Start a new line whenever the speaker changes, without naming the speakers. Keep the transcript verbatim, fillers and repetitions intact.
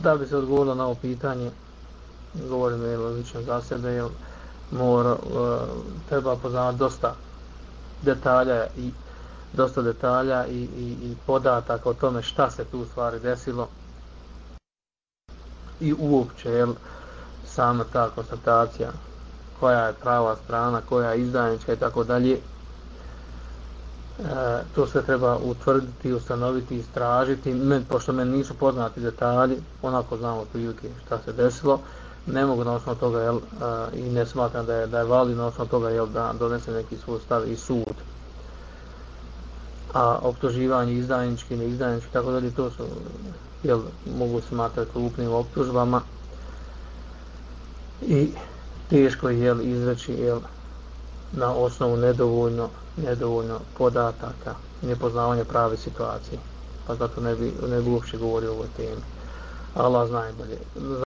Da bi se odgovorilo na ovo pitanje, govorim jel, lično za sebe, jel, mora, treba poznavati dosta detalja i dosta detalja i, i, i podataka o tome šta se tu u stvari desilo i uopće jel, sama ta konstatacija koja je prava strana, koja je izdajnička i tako dalje. E, to sve treba utvrditi, ustanoviti, istražiti. Men, pošto meni nisu poznati detalji, onako znamo prilike šta se desilo, ne mogu na osnovu toga jel, a, i ne smatram da je, da je validno na osnovu toga jel, da donese neki svoj stav i sud. A optuživanje izdajnički, neizdajnički, tako dalje, to su, jel, mogu smatrati krupnim optužbama i teško je jel, izreći jel, na osnovu nedovoljno, nedovoljno podataka, nepoznavanja prave situacije. Pa zato ne bi, ne bi uopće govorio o ovoj temi. Allah zna najbolje.